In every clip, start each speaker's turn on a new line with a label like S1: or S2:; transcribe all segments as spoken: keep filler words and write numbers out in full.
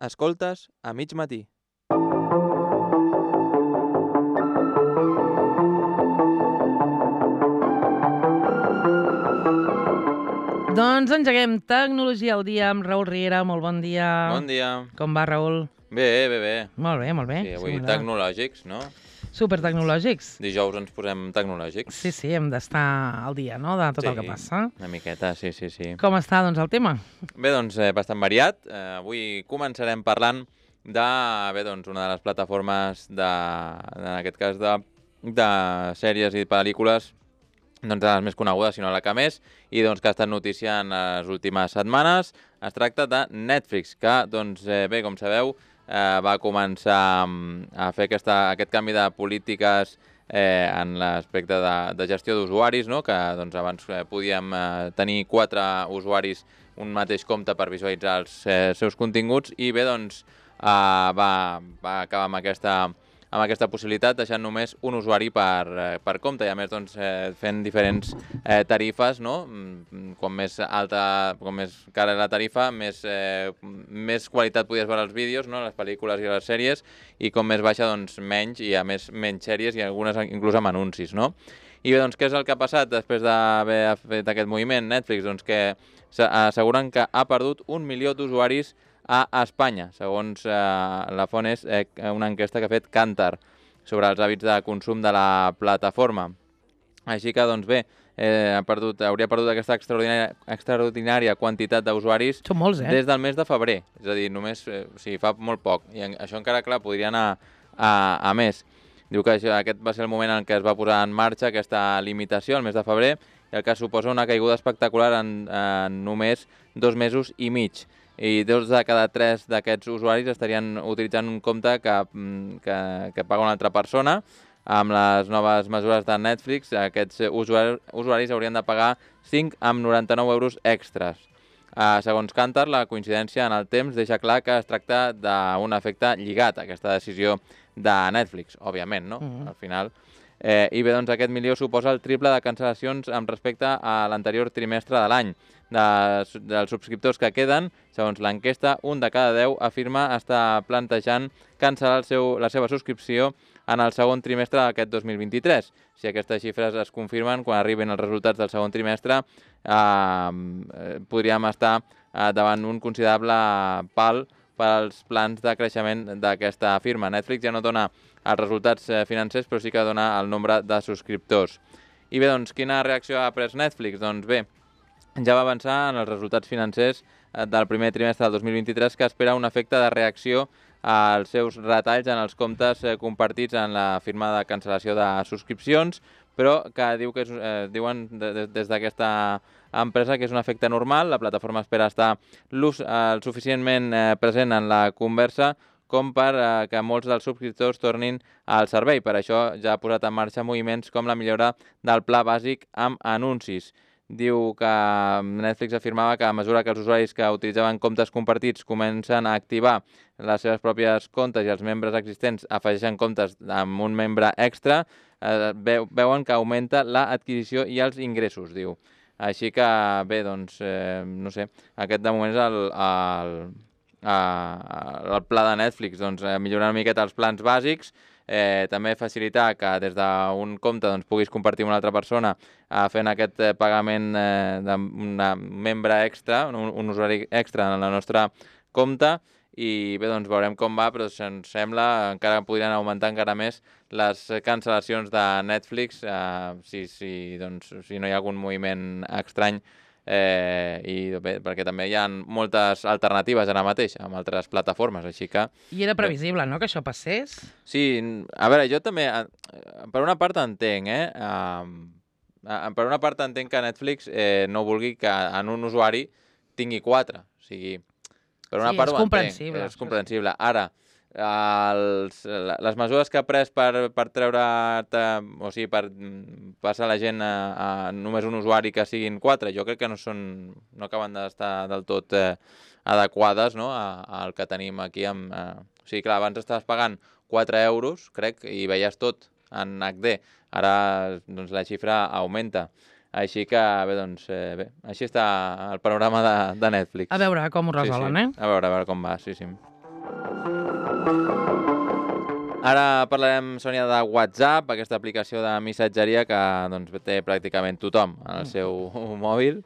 S1: Escoltes a mig matí.
S2: Doncs engeguem Tecnologia al dia amb Raül Riera. Molt bon dia.
S1: Bon dia.
S2: Com va, Raül?
S1: Bé, bé, bé.
S2: Molt bé, molt bé.
S1: Sí, avui
S2: m'agrada.
S1: tecnològics, no?
S2: Supertecnològics.
S1: Dijous ens posem tecnològics.
S2: Sí, sí, hem d'estar al dia, no?, de tot
S1: sí,
S2: el que passa.
S1: una miqueta, sí, sí, sí.
S2: Com està, doncs, el tema?
S1: Bé, doncs, eh, bastant variat. Eh, avui començarem parlant de, bé, doncs, una de les plataformes de, en aquest cas, de, de sèries i pel·lícules, doncs, de les més conegudes, sinó la que més, i doncs, que ha estat notícia en les últimes setmanes. Es tracta de Netflix, que, doncs, eh, bé, com sabeu, eh, va començar a fer aquesta, aquest canvi de polítiques eh, en l'aspecte de, de gestió d'usuaris, no? Que doncs, abans eh, podíem eh, tenir quatre usuaris un mateix compte per visualitzar els eh, seus continguts, i bé, doncs, eh, va, va acabar amb aquesta, amb aquesta possibilitat, deixant només un usuari per, eh, per compte, i a més doncs, eh, fent diferents eh, tarifes, no? Com més alta, com més cara la tarifa, més, eh, més qualitat podies veure els vídeos, no? Les pel·lícules i les sèries, i com més baixa, doncs menys, i a més menys sèries, i algunes inclús amb anuncis, no? I bé, doncs, què és el que ha passat després d'haver fet aquest moviment Netflix? Doncs que asseguren que ha perdut un milió d'usuaris a Espanya, segons eh, la font és eh, una enquesta que ha fet Kantar sobre els hàbits de consum de la plataforma. Així que, doncs bé, eh, ha perdut, hauria perdut aquesta extraordinària, extraordinària quantitat d'usuaris
S2: eh?
S1: des del mes de febrer, és a dir, només, eh, o sigui, fa molt poc, i en, això encara, clar, podria anar a, a més. Diu que això, aquest va ser el moment en què es va posar en marxa aquesta limitació, el mes de febrer, i el que suposa una caiguda espectacular en, en només dos mesos i mig. I dos de cada tres d'aquests usuaris estarien utilitzant un compte que, que, que paga una altra persona. Amb les noves mesures de Netflix, aquests usuaris, usuaris haurien de pagar cinc coma noranta-nou euros extras. Uh, segons Kantar, la coincidència en el temps deixa clar que es tracta d'un efecte lligat a aquesta decisió de Netflix, òbviament, no? Mm-hmm. Al final. Eh, I bé, doncs, aquest milió suposa el triple de cancel·lacions amb respecte a l'anterior trimestre de l'any. De, dels subscriptors que queden, segons l'enquesta, un de cada deu afirma estar plantejant cancel·lar el seu, la seva subscripció en el segon trimestre d'aquest dos mil vint-i-tres. Si aquestes xifres es confirmen, quan arriben els resultats del segon trimestre, eh, podríem estar eh, davant un considerable pal per als plans de creixement d'aquesta firma. Netflix ja no dona els resultats financers, però sí que dona el nombre de subscriptors. I bé, doncs, quina reacció ha pres Netflix? Doncs bé, ja va avançar en els resultats financers del primer trimestre del dos mil vint-i-tres, que espera un efecte de reacció als seus retalls en els comptes compartits en la firma de cancel·lació de subscripcions, però que diu que és, eh, diuen des d'aquesta empresa que és un efecte normal. La plataforma espera estar eh, suficientment eh, present en la conversa com per eh, que molts dels subscriptors tornin al servei. Per això ja ha posat en marxa moviments com la millora del pla bàsic amb anuncis. Diu que Netflix afirmava que a mesura que els usuaris que utilitzaven comptes compartits comencen a activar les seves pròpies comptes i els membres existents afegeixen comptes amb un membre extra, eh, veuen que augmenta l'adquisició i els ingressos, diu. Així que, bé, doncs, eh, no sé, aquest de moment és el, el, el pla de Netflix, doncs, millorar una miqueta els plans bàsics, Eh, també facilitar que des d'un compte doncs, puguis compartir amb una altra persona eh, fent aquest eh, pagament eh, d'un membre extra, un, un usuari extra en el nostre compte, i bé, doncs veurem com va, però ens sembla encara podrien augmentar encara més les cancel·lacions de Netflix eh, si, si, doncs, si no hi ha algun moviment estrany. Eh, i bé, perquè també hi ha moltes alternatives ara mateix amb altres plataformes, així que...
S2: I era previsible, no?, que això passés?
S1: Sí, a veure, jo també, per una part entenc, eh? Uh, per una part entenc que Netflix eh, no vulgui que en un usuari tingui quatre, o sigui, per una
S2: sí,
S1: part
S2: és
S1: ho
S2: comprensible.
S1: entenc, és comprensible. Ara, els, les mesures que ha pres per, per treure, o sigui, per passar la gent a, a només un usuari que siguin quatre, jo crec que no són, no acaben d'estar del tot eh, adequades, no?, al que tenim aquí. Amb, eh, o sigui, clar, abans estaves pagant quatre euros, crec, i veies tot en H D. Ara, doncs, la xifra augmenta. Així que, bé, doncs, eh, bé, així està el panorama de, de Netflix.
S2: A veure com ho resolen,
S1: sí, sí.
S2: eh?
S1: A veure, a veure com va, sí, sí. Ara parlarem, Sònia, de WhatsApp, aquesta aplicació de missatgeria que doncs, té pràcticament tothom en el seu mòbil.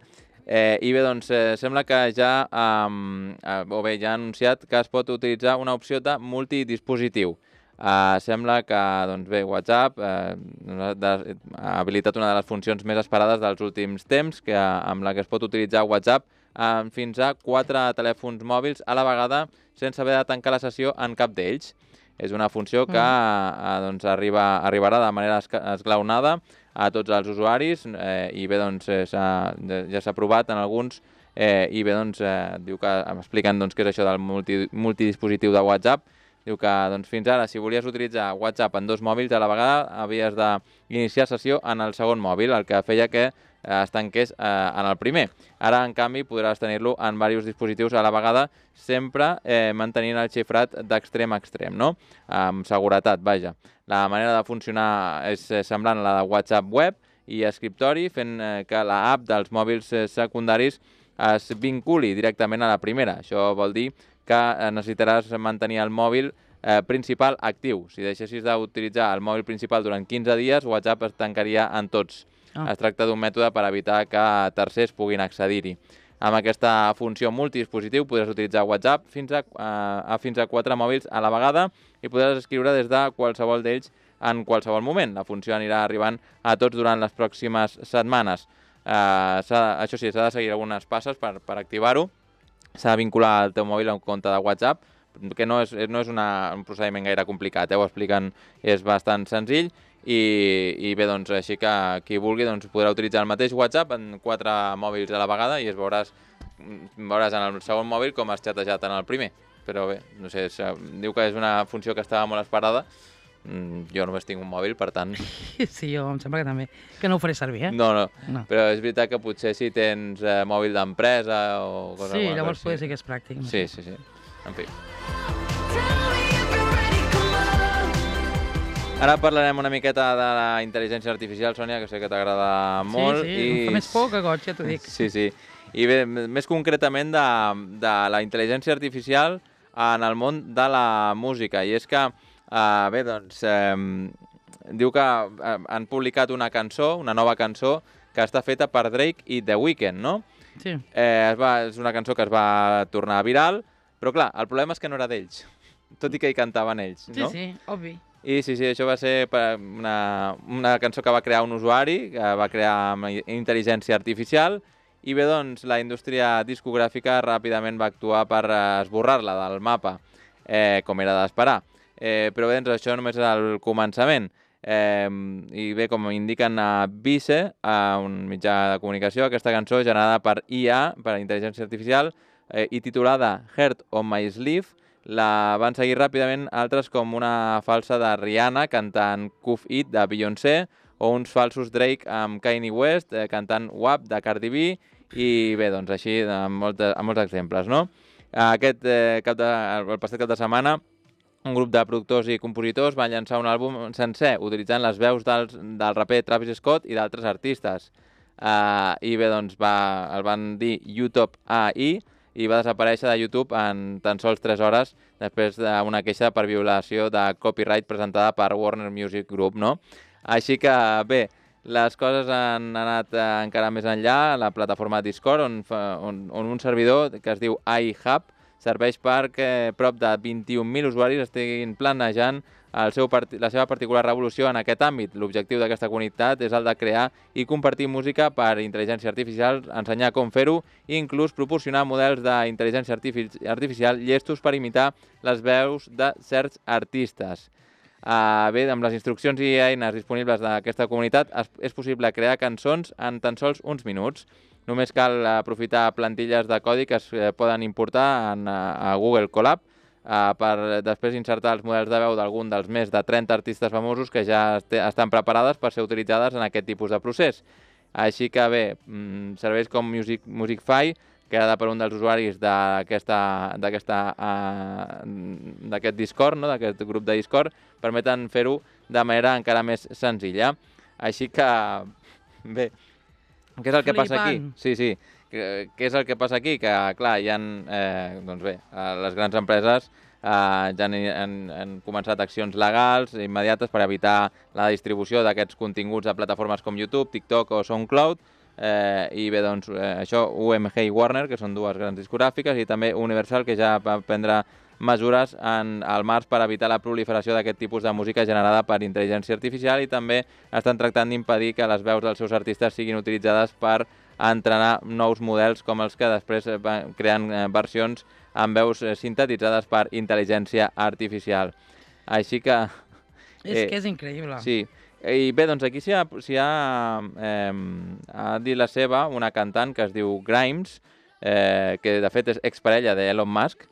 S1: Eh, I bé, doncs, eh, sembla que ja, eh, o bé, ja ha anunciat que es pot utilitzar una opció de multidispositiu. Eh, sembla que, doncs bé, WhatsApp eh, ha habilitat una de les funcions més esperades dels últims temps, que, amb la que es pot utilitzar WhatsApp eh, fins a quatre telèfons mòbils a la vegada sense haver de tancar la sessió en cap d'ells. És una funció que eh, doncs, arriba, arribarà de manera esglaonada a tots els usuaris eh, i bé, doncs, eh, ja s'ha provat en alguns eh, i bé, doncs, eh, diu que expliquen doncs, què és això del multi, multidispositiu de WhatsApp. Diu que doncs, fins ara, si volies utilitzar WhatsApp en dos mòbils a la vegada, havies d'iniciar sessió en el segon mòbil, el que feia que es tanqués eh, en el primer. Ara, en canvi, podràs tenir-lo en diversos dispositius a la vegada, sempre eh, mantenint el xifrat d'extrem a extrem, no? Amb seguretat, vaja. La manera de funcionar és semblant a la de WhatsApp web i escriptori, fent eh, que l'app dels mòbils eh, secundaris es vinculi directament a la primera. Això vol dir que necessitaràs mantenir el mòbil eh, principal actiu. Si deixessis d'utilitzar el mòbil principal durant quinze dies, WhatsApp es tancaria en tots. Oh. Es tracta d'un mètode per evitar que tercers puguin accedir-hi. Amb aquesta funció multidispositiu podràs utilitzar WhatsApp fins a, a, a fins a quatre mòbils a la vegada i podràs escriure des de qualsevol d'ells en qualsevol moment. La funció anirà arribant a tots durant les pròximes setmanes. Eh, això sí, s'ha de seguir algunes passes per, per activar-ho. S'ha de vincular el teu mòbil a un compte de WhatsApp, que no és, no és una, un procediment gaire complicat, eh? Ho expliquen, és bastant senzill. I, i bé, doncs, així que qui vulgui doncs, podrà utilitzar el mateix WhatsApp en quatre mòbils a la vegada i es veuràs, veuràs en el segon mòbil com has xatejat en el primer. Però bé, no sé, es, diu que és una funció que estava molt esperada. Jo només tinc un mòbil, per tant...
S2: Sí, jo em sembla que també. Que no ho faré servir, eh?
S1: No, no, no. Però és veritat que potser si tens eh, mòbil d'empresa o cosa...
S2: Sí, llavors potser sí que és pràctic. No
S1: sí, sí, sí. En fi. Ara parlarem una miqueta de la intel·ligència artificial, Sònia, que sé que t'agrada molt.
S2: Sí, sí, i... em fa més por que goig, ja t'ho dic.
S1: Sí, sí. I bé, més concretament de, de la intel·ligència artificial en el món de la música. I és que, eh, bé, doncs, eh, diu que eh, han publicat una cançó, una nova cançó, que està feta per Drake i The Weeknd, no?
S2: Sí.
S1: Eh, es va, és una cançó que es va tornar viral, però clar, el problema és que no era d'ells, tot i que hi cantaven ells, no?
S2: Sí, sí, obvi.
S1: I sí, sí, això va ser una, una cançó que va crear un usuari, que va crear amb intel·ligència artificial, i bé, doncs, la indústria discogràfica ràpidament va actuar per esborrar-la del mapa, eh, com era d'esperar. Eh, però bé, doncs, això només és el començament. Eh, I bé, com indiquen a Vice, a un mitjà de comunicació, aquesta cançó generada per I A, per intel·ligència artificial, eh, i titulada Heart on My Sleeve, la van seguir ràpidament altres com una falsa de Rihanna cantant Cuff It de Beyoncé o uns falsos Drake amb Kanye West eh, cantant W A P de Cardi B i bé, doncs així amb, moltes, amb molts exemples, no? Aquest eh, cap de, el passat cap de setmana un grup de productors i compositors van llançar un àlbum sencer utilitzant les veus dels, del raper Travis Scott i d'altres artistes. Uh, I bé, doncs va, el van dir YouTube A I i va desaparèixer de YouTube en tan sols tres hores després d'una queixa per violació de copyright presentada per Warner Music Group, no? Així que, bé, les coses han anat eh, encara més enllà. La plataforma Discord, on, fa, on, on un servidor que es diu iHub, serveix perquè prop de vint-i-un mil usuaris estiguin planejant el seu part... la seva particular revolució en aquest àmbit. L'objectiu d'aquesta comunitat és el de crear i compartir música per intel·ligència artificial, ensenyar com fer-ho i inclús proporcionar models d'intel·ligència artifici... artificial llestos per imitar les veus de certs artistes. Uh, bé, amb les instruccions i eines disponibles d'aquesta comunitat és, és possible crear cançons en tan sols uns minuts. Només cal aprofitar plantilles de codi que es poden importar en, a Google Colab uh, per després insertar els models de veu d'algun dels més de trenta artistes famosos que ja est estan preparades per ser utilitzades en aquest tipus de procés. Així que bé, mm, serveis com Music, Musicfy, creada per un dels usuaris d'aquest uh, Discord, no? D'aquest grup de Discord, permeten fer-ho de manera encara més senzilla. Així que, bé, què és el que passa aquí? Sí, sí. Què és el que passa aquí? Que, clar, hi ha, eh, doncs bé, les grans empreses ja han, han, han començat accions legals immediates per evitar la distribució d'aquests continguts a plataformes com YouTube, TikTok o SoundCloud. Eh, I bé, doncs, eh, això, U M G i Warner, que són dues grans discogràfiques, i també Universal, que ja va prendre mesures en, al març per evitar la proliferació d'aquest tipus de música generada per intel·ligència artificial, i també estan tractant d'impedir que les veus dels seus artistes siguin utilitzades per entrenar nous models com els que després creen versions amb veus sintetitzades per intel·ligència artificial. Així que...
S2: És eh, que és increïble.
S1: Sí. I bé, doncs aquí s'hi ha, s'hi ha, eh, ha dit la seva una cantant que es diu Grimes, eh, que de fet és exparella d'Elon Musk,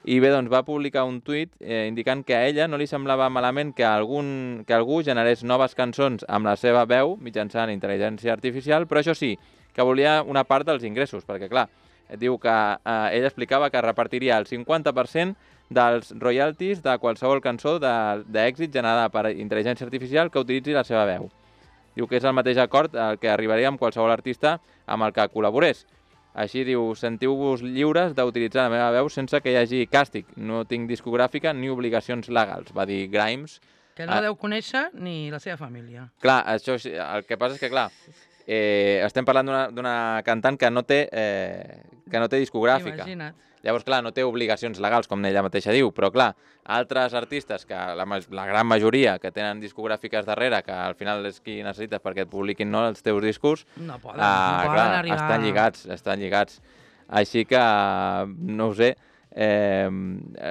S1: i bé, doncs va publicar un tuit eh, indicant que a ella no li semblava malament que, algun, que algú generés noves cançons amb la seva veu mitjançant intel·ligència artificial, però això sí, que volia una part dels ingressos, perquè clar, diu que eh, ella explicava que repartiria el cinquanta per cent dels royalties de qualsevol cançó d'èxit generada per intel·ligència artificial que utilitzi la seva veu. Diu que és el mateix acord al que arribaria amb qualsevol artista amb el que col·laborés. Així diu, sentiu-vos lliures d'utilitzar la meva veu sense que hi hagi càstig. No tinc discogràfica ni obligacions legals, va dir Grimes.
S2: Que no deu conèixer ni la seva família.
S1: Clar, això, el que passa és que, clar, eh, estem parlant d'una cantant que no té, eh, que no té discogràfica.
S2: Imagina't.
S1: Llavors, clar, no té obligacions legals, com ella mateixa diu, però, clar, altres artistes, que la, la gran majoria que tenen discogràfiques darrere, que al final és qui necessites perquè et publiquin no, els teus discos,
S2: no poden,
S1: uh,
S2: no poden
S1: clar,
S2: arribar...
S1: estan lligats, estan lligats. Així que, no ho sé, eh,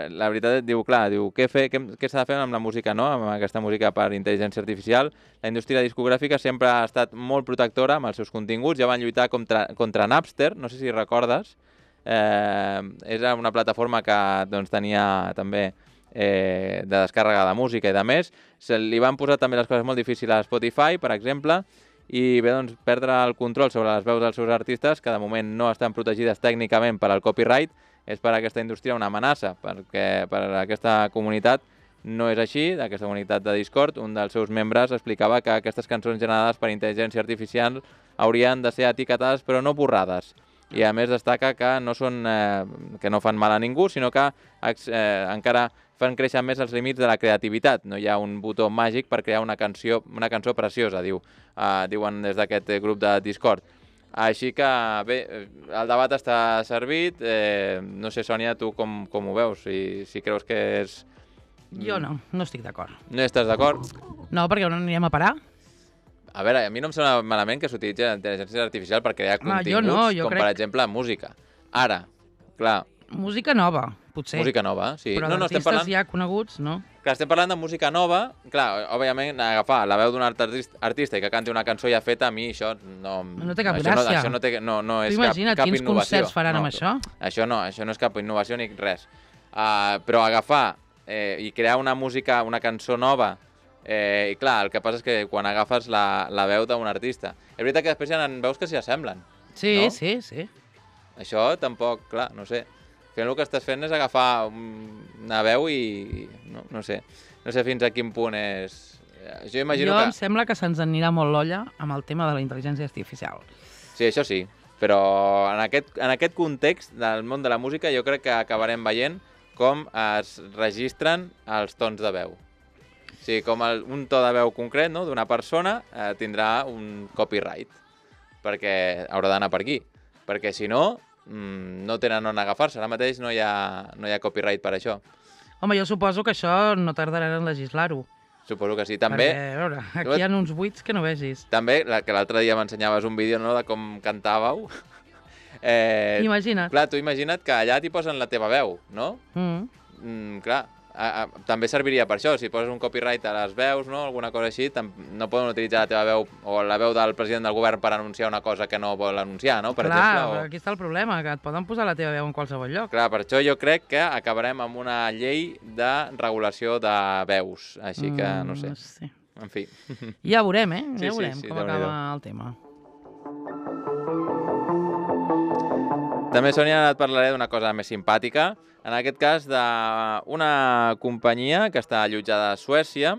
S1: la veritat diu, clar, diu, què, fer, què, què s'ha de fer amb la música, no? Amb aquesta música per intel·ligència artificial? La indústria discogràfica sempre ha estat molt protectora amb els seus continguts, ja van lluitar contra, contra Napster, no sé si recordes. Eh, és una plataforma que doncs, tenia també eh, de descàrrega de música i de més. Se li van posar també les coses molt difícils a Spotify, per exemple, i bé, doncs, perdre el control sobre les veus dels seus artistes, que de moment no estan protegides tècnicament per al copyright, és per a aquesta indústria una amenaça, perquè per a aquesta comunitat no és així. D'aquesta comunitat de Discord, un dels seus membres explicava que aquestes cançons generades per intel·ligència artificial haurien de ser etiquetades però no borrades. I a més destaca que no, són, eh, que no fan mal a ningú, sinó que eh, encara fan créixer més els límits de la creativitat. No hi ha un botó màgic per crear una cançó, una cançó preciosa, diu, eh, diuen des d'aquest grup de Discord. Així que, bé, el debat està servit. Eh, no sé, Sònia, tu com, com ho veus? Si, si creus que és...
S2: Jo no, no estic d'acord.
S1: No estàs d'acord?
S2: No, perquè on anirem a parar?
S1: A veure, a mi no em sembla malament que s'utilitzi la intel·ligència artificial per crear
S2: Home,
S1: continguts,
S2: no, com
S1: crec... per exemple música. Ara, clar...
S2: Música nova, potser.
S1: Música nova, sí.
S2: Però
S1: no, no,
S2: d'artistes
S1: parlant...
S2: ja coneguts, no?
S1: Clar, estem parlant de música nova. Clar, òbviament, agafar la veu d'un artista, artista i que canti una cançó ja feta, a mi això no...
S2: No té cap
S1: això
S2: gràcia.
S1: No, això no, té, no, no és cap, cap
S2: quins
S1: innovació.
S2: Concerts faran
S1: no,
S2: amb això?
S1: Això no, això no és cap innovació ni res. Uh, però agafar eh, i crear una música, una cançó nova. Eh, I clar, el que passa és que quan agafes la, la veu d'un artista... És veritat que després hi ha veus que s'hi assemblen.
S2: Sí,
S1: no?
S2: sí, sí.
S1: Això tampoc, clar, no sé. Fent el que estàs fent és agafar una veu i... No, no sé. No sé fins a quin punt és... Jo imagino
S2: jo
S1: que...
S2: em sembla que se'ns anirà molt l'olla amb el tema de la intel·ligència artificial.
S1: Sí, això sí. Però en aquest, en aquest context del món de la música jo crec que acabarem veient com es registren els tons de veu. O sigui, com el, un to de veu concret, no?, d'una persona eh, tindrà un copyright, perquè haurà d'anar per aquí. Perquè si no, mmm, no tenen on agafar-se. Ara mateix no hi ha, no hi ha copyright per això.
S2: Home, jo suposo que això no tardarà en legislar-ho.
S1: Suposo que sí. També,
S2: perquè, a veure, aquí hi ha uns buits que no vegis.
S1: També, la, que l'altre dia m'ensenyaves un vídeo, no?, de com cantàveu. eh,
S2: Imagina't.
S1: Clar, tu imagina't que allà t'hi posen la teva veu, no?
S2: Mm.
S1: Mm, clar, a, a, també serviria per això. Si poses un copyright a les veus, no?, alguna cosa així, no poden utilitzar la teva veu o la veu del president del govern per anunciar una cosa que no vol anunciar, no?, per
S2: clar,
S1: exemple. O...
S2: aquí està el problema, que et poden posar la teva veu en qualsevol lloc.
S1: Clar, per això jo crec que acabarem amb una llei de regulació de veus. Així que, no sé.
S2: Mm, sí.
S1: En fi.
S2: Ja veurem, eh?
S1: Sí,
S2: ja veurem
S1: sí, sí,
S2: com acaba el tema.
S1: També, Sònia, et parlaré d'una cosa més simpàtica. En aquest cas, d'una companyia que està allotjada a Suècia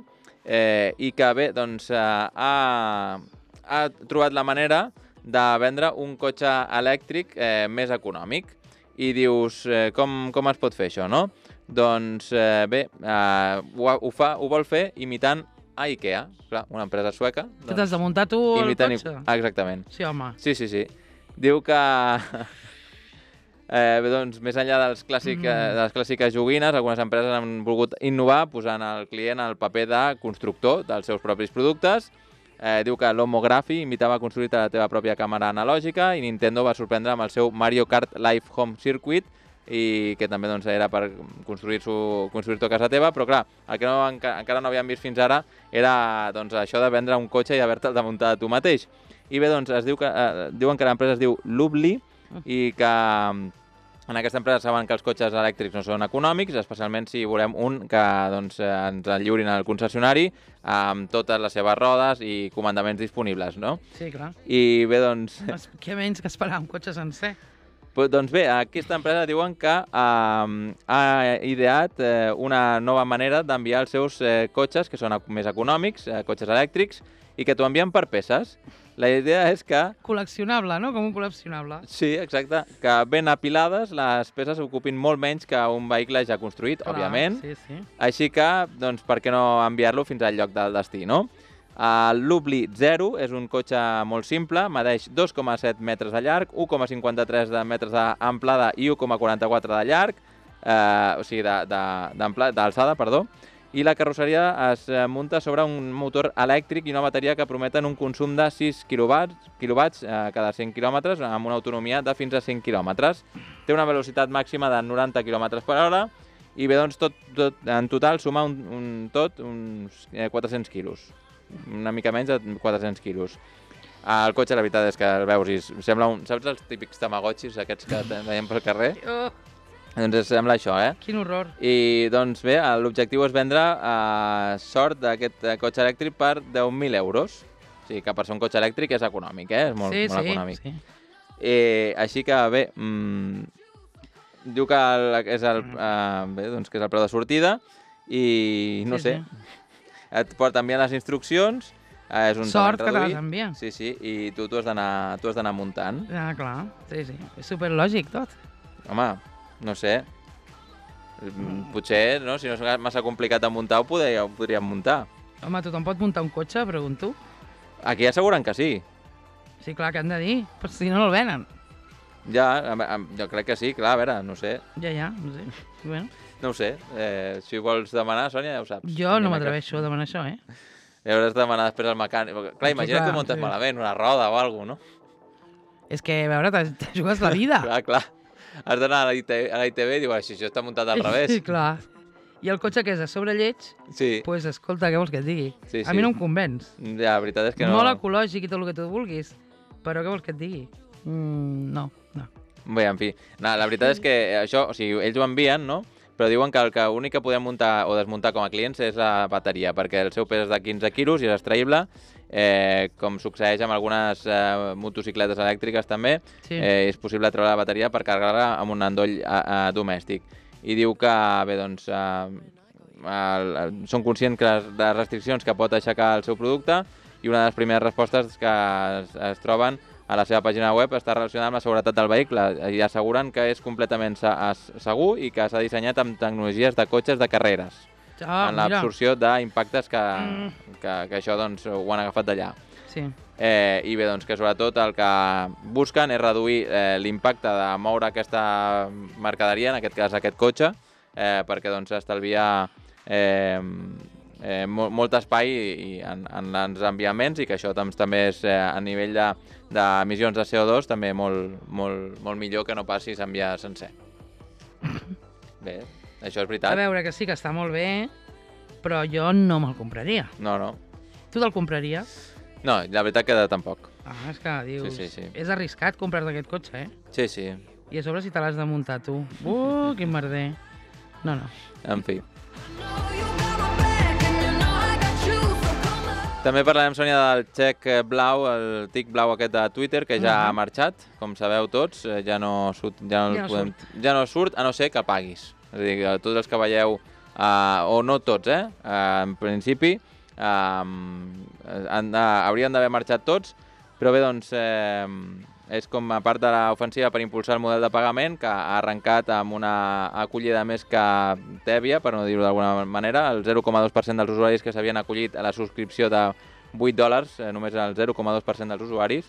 S1: eh, i que, bé, doncs, eh, ha, ha trobat la manera de vendre un cotxe elèctric eh, més econòmic. I dius, eh, com, com es pot fer això, no? doncs eh, bé, eh, ho, ho, fa, ho vol fer imitant a IKEA, clar, una empresa sueca.
S2: Doncs, que t'has de muntar tu el
S1: imitant,
S2: cotxe?
S1: Exactament.
S2: Sí, home.
S1: Sí, sí, sí. Diu que... Eh, bé, doncs, més enllà dels clàssic, mm. eh, de les clàssiques joguines, algunes empreses han volgut innovar posant al client el paper de constructor dels seus propis productes. Eh, diu que l'Homography imitava construir la teva pròpia càmera analògica i Nintendo va sorprendre amb el seu Mario Kart Live Home Circuit, i que també doncs, era per construir-t'ho construir a casa teva, però clar, el que no, enca, encara no havíem vist fins ara era doncs, això de vendre un cotxe i haver-te'l de muntar tu mateix. I bé, doncs, es diu que, eh, diuen que l'empresa es diu Lubli i que en aquesta empresa saben que els cotxes elèctrics no són econòmics, especialment si volem un que doncs, ens el lliurin al concessionari amb totes les seves rodes i comandaments disponibles, no?
S2: Sí, clar.
S1: I bé, doncs...
S2: Què menys que esperar un cotxe sencer?
S1: Pues, doncs bé, aquesta empresa diuen que eh, ha ideat eh, una nova manera d'enviar els seus eh, cotxes, que són més econòmics, eh, cotxes elèctrics, i que t'ho envien per peces. La idea és que...
S2: Col·leccionable, no? Com un col·leccionable.
S1: Sí, exacte. Que ben apilades les peces ocupin molt menys que un vehicle ja construït,
S2: Clar,
S1: òbviament.
S2: Sí, sí.
S1: Així que, doncs, per què no enviar-lo fins al lloc del destí, no? El Lubli zero és un cotxe molt simple, medeix dos coma set metres de llarg, u coma cinquanta-tres de metres d'amplada i u coma quaranta-quatre de llarg, eh, o sigui, d'alçada, perdó, i la carrosseria es munta sobre un motor elèctric i una bateria que prometen un consum de sis quilowatts eh, cada cent quilòmetres, amb una autonomia de fins a cinc quilòmetres. Té una velocitat màxima de noranta quilòmetres per hora i bé, doncs, tot, tot, en total suma un, un, tot uns eh, quatre-cents quilos. Una mica menys de quatre-cents quilos. El cotxe, la veritat és que el veus i sembla un... Saps els típics tamagotxis aquests que veiem pel carrer?
S2: Oh.
S1: Doncs sembla això, eh?
S2: Quin horror.
S1: I doncs bé, l'objectiu és vendre eh, sort d'aquest cotxe elèctric per deu mil euros. O sigui que per ser un cotxe elèctric és econòmic, eh? És molt,
S2: sí,
S1: molt
S2: sí,
S1: econòmic.
S2: Sí.
S1: Eh, així que bé, mmm, diu que el, és el, eh, bé, doncs que és el preu de sortida i no
S2: sí,
S1: sé,
S2: sí.
S1: Et porta enviant les instruccions, eh, és un
S2: sort que te
S1: reduït.
S2: les envia.
S1: Sí, sí, i tu t'ho has d'anar muntant.
S2: Ah, clar, sí, sí, és superlògic tot.
S1: Home, no sé, potser, no, si no és massa complicat de muntar, ho, poder, ho podríem muntar.
S2: Home, tothom pot muntar un cotxe, pregunto.
S1: Aquí asseguren que sí.
S2: Sí, clar, que han de dir, però si no, no el venen.
S1: Ja, jo crec que sí, clar, a veure, no sé.
S2: Ja, ja, no sé. Bueno.
S1: No ho sé, eh, si vols demanar, Sònia, ja ho saps.
S2: Jo no m'atreveixo a demanar això, eh?
S1: I hauràs de demanar després al mecànic. Clar, imagina que ho muntes sí. malament, una roda o alguna cosa, no?
S2: És que, a veure, te jugues la vida.
S1: clar, clar. Has d'anar a la I T V i dius, si això està muntat al revés.
S2: Sí, clar. I el cotxe que és a sobre lleig,
S1: sí.
S2: pues escolta, què vols que et digui?
S1: Sí, sí.
S2: A mi no em convenç.
S1: Ja, la veritat és que no...
S2: Molt ecològic i tot el que tu vulguis, però què vols que et digui? Mm, no, no.
S1: Bé, en fi, no, la veritat és que això, o sigui, ells ho envien, no? Però diuen que el que únic que podem muntar o desmuntar com a clients és la bateria, perquè el seu pes és de quinze quilos i és extraïble, eh, com succeeix amb algunes eh, motocicletes elèctriques també, sí. eh, és possible treure la bateria per carregar-la amb un endoll eh, eh, domèstic. I diu que, bé, doncs, eh, el, el, són conscients que les, les restriccions que pot aixecar el seu producte i una de les primeres respostes que es, es troben a la seva pàgina web està relacionada amb la seguretat del vehicle i asseguren que és completament segur i que s'ha dissenyat amb tecnologies de cotxes de carreres,
S2: ah,
S1: en l'absorció d'impactes que, mm. que, que això doncs, ho han agafat d'allà.
S2: Sí.
S1: Eh, I bé, doncs que sobretot el que busquen és reduir eh, l'impacte de moure aquesta mercaderia, en aquest cas aquest cotxe, eh, perquè doncs estalvia eh, eh, molt, molt espai i, en, en els enviaments i que això doncs, també és eh, a nivell de d'emissions de C O dos també molt, molt, molt millor que no passi s'enviar sencer. Bé, això és veritat.
S2: A veure, que sí que està molt bé, però jo no me'l compraria.
S1: No, no.
S2: Tu te'l compraries?
S1: No, la veritat que tampoc.
S2: Ah, és que dius...
S1: Sí, sí, sí.
S2: És arriscat comprar-te aquest cotxe, eh?
S1: Sí, sí.
S2: I a sobre si te l'has de muntar tu. Uh, quin merder. No, no.
S1: En fi. També parlarem, Sònia, del xec blau, el tic blau aquest de Twitter, que ja uh-huh. ha marxat, com sabeu tots, ja no, surt, ja no, ja no, podem, surt. ja no surt, a no ser que paguis. És a dir, tots els que veieu, uh, o no tots, eh, uh, en principi, uh, han, uh, haurien d'haver marxat tots, però bé, doncs, eh, és com a part de l'ofensiva per impulsar el model de pagament, que ha arrencat amb una acollida més que tèbia, per no dir-ho d'alguna manera. El zero coma dos per cent dels usuaris que s'havien acollit a la subscripció de vuit dòlars, eh, només el zero coma dos per cent dels usuaris.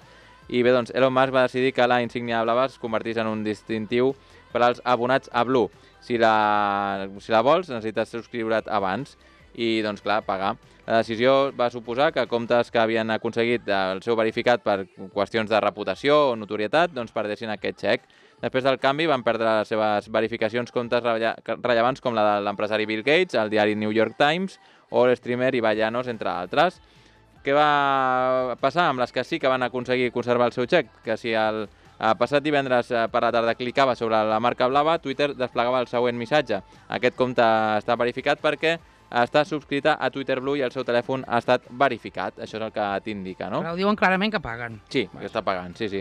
S1: I bé, doncs, Elon Musk va decidir que la insígnia blava es convertís en un distintiu per als abonats a Blue. Si la, si la vols, necessites subscriure't abans i, doncs, clar, pagar. La decisió va suposar que comptes que havien aconseguit el seu verificat per qüestions de reputació o notorietat, doncs perdessin aquest xec. Després del canvi van perdre les seves verificacions comptes rellevants com la de l'empresari Bill Gates, el diari New York Times o l'streamer Ibai Llanos, entre altres. Què va passar amb les que sí que van aconseguir conservar el seu xec? Que si el passat divendres per la tarda clicava sobre la marca blava, Twitter desplegava el següent missatge. Aquest compte està verificat perquè està subscrita a Twitter Blue i el seu telèfon ha estat verificat. Això és el que t'indica, no?
S2: Però diuen clarament que paguen.
S1: Sí, que està pagant, sí, sí.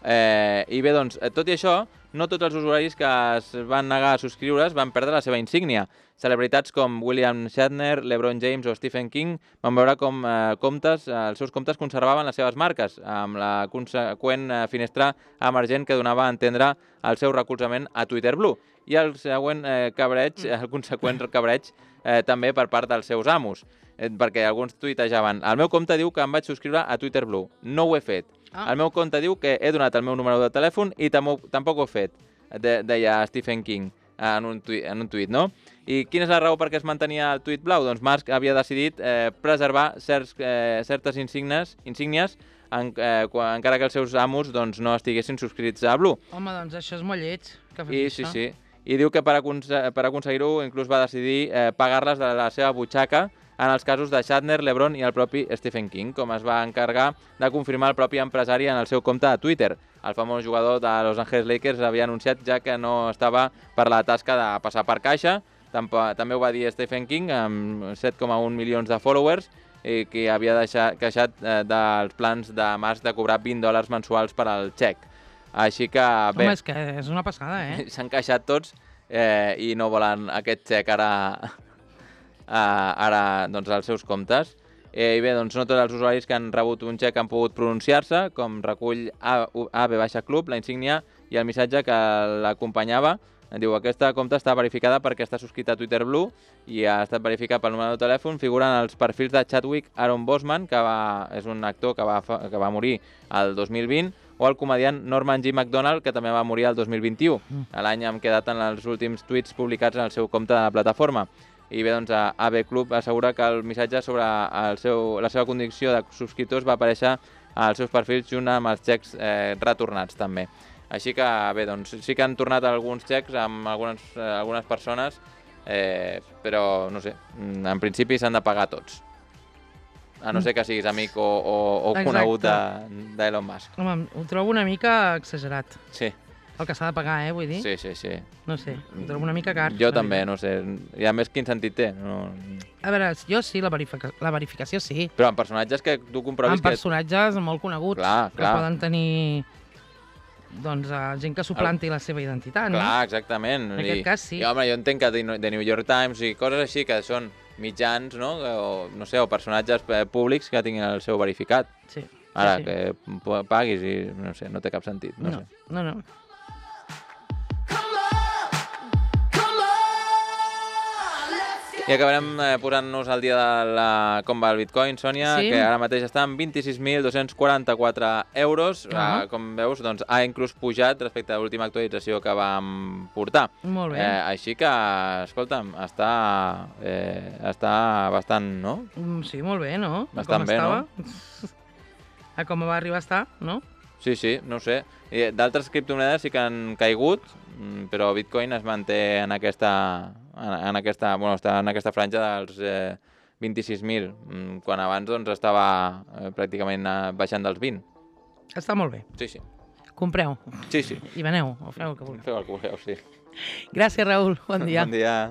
S1: Eh, I bé, doncs, tot i això, no tots els usuaris que es van negar a subscriure's van perdre la seva insígnia. Celebritats com William Shatner, LeBron James o Stephen King van veure com eh, comptes, eh, els seus comptes conservaven les seves marques, amb la conseqüent eh, finestra emergent que donava a entendre el seu recolzament a Twitter Blue. I el següent eh, cabreig, el conseqüent cabreig, eh, també per part dels seus amos, eh, perquè alguns tuitejaven: el meu compte diu que em vaig subscriure a Twitter Blue, no ho he fet. Ah. El meu compte diu que he donat el meu número de telèfon i tampoc ho he fet, de, deia Stephen King en un, tuit, en un tuit, no? I quina és la raó per què es mantenia el tuit blau? Doncs Musk havia decidit eh, preservar certs, eh, certes insígnies, insígnies en, eh, quan, encara que els seus amos doncs, no estiguessin subscrits a Blue.
S2: Home, doncs això és molt lleig, que fes
S1: I,
S2: això.
S1: Sí, sí. I diu que per, aconse per aconseguir-ho inclús va decidir eh, pagar-les de la seva butxaca en els casos de Shatner, LeBron i el propi Stephen King, com es va encarregar de confirmar el propi empresari en el seu compte de Twitter. El famós jugador de Los Angeles Lakers havia anunciat ja que no estava per la tasca de passar per caixa. També ho va dir Stephen King, amb set coma un milions de followers, i que havia deixat, queixat eh, dels plans de Musk de cobrar vint dòlars mensuals per al xec. Així que, bé...
S2: Home, és que és una passada, eh?
S1: S'han queixat tots eh, i no volen aquest xec ara, eh, ara doncs, als seus comptes. Eh, I bé, doncs no tots els usuaris que han rebut un xec han pogut pronunciar-se, com recull A B Club, la insígnia i el missatge que l'acompanyava. Diu: aquesta compte està verificada perquè està subscrita a Twitter Blue i ha estat verificat pel número de telèfon. Figuren els perfils de Chadwick Aaron Boseman, que va, és un actor que va, que va morir el dos mil vint, o el comediant Norman G. Macdonald, que també va morir el dos mil vint-i-u, l'any amb què daten els últims tuits publicats en el seu compte de la plataforma. I bé, doncs, A B Club assegura que el missatge sobre el seu, la seva condició de subscriptors va aparèixer als seus perfils junt amb els xecs eh, retornats també. Així que, bé, doncs sí que han tornat alguns xecs amb algunes, eh, algunes persones, eh, però, no sé, en principi s'han de pagar tots. A no ser que siguis amic o, o, o conegut d'Elon Musk.
S2: Home, ho trobo una mica exagerat.
S1: Sí.
S2: El que s'ha de pagar, eh, vull dir?
S1: Sí, sí, sí.
S2: No sé, ho trobo una mica car.
S1: Jo també, no sé. I a més, quin sentit té? No...
S2: A veure, jo sí, la, verifica... la verificació sí.
S1: Però en personatges que tu comprovis...
S2: En personatges que... molt coneguts,
S1: clar,
S2: que
S1: clar.
S2: poden tenir... doncs uh, gent que suplanti el... la seva identitat, no?
S1: Clar, exactament.
S2: En aquest
S1: I,
S2: cas sí.
S1: I, home, jo entenc que The New York Times i coses així que són mitjans, no? O, no sé, o personatges públics que tinguin el seu verificat.
S2: Sí.
S1: Ara,
S2: sí, sí.
S1: que paguis i, no sé, no té cap sentit. No,
S2: no,
S1: sé.
S2: no, no.
S1: I acabarem eh, posant-nos al dia de la, com va el Bitcoin, Sònia,
S2: sí.
S1: que ara mateix està en vint-i-sis mil dos-cents quaranta-quatre euros. Uh -huh. eh, com veus, doncs, ha inclús pujat respecte a l'última actualització que vam portar.
S2: Molt bé.
S1: Eh, així que, escolta'm, està, eh, està bastant, no?
S2: Sí, molt bé, no?
S1: Bastant
S2: com
S1: bé,
S2: estava.
S1: no?
S2: A com va arribar a estar, no?
S1: Sí, sí, no ho sé. D'altres criptomonedes sí que han caigut, però Bitcoin es manté en aquesta, en aquesta, bueno, està en aquesta franja dels eh, vint-i-sis mil, quan abans doncs, estava eh, pràcticament eh, baixant dels vint.
S2: Està molt bé.
S1: Sí, sí.
S2: Compreu.
S1: Sí, sí.
S2: I veneu, o feu el que vulgueu.
S1: Feu el que vulgueu, sí.
S2: Gràcies, Raül. Bon dia.
S1: Bon dia.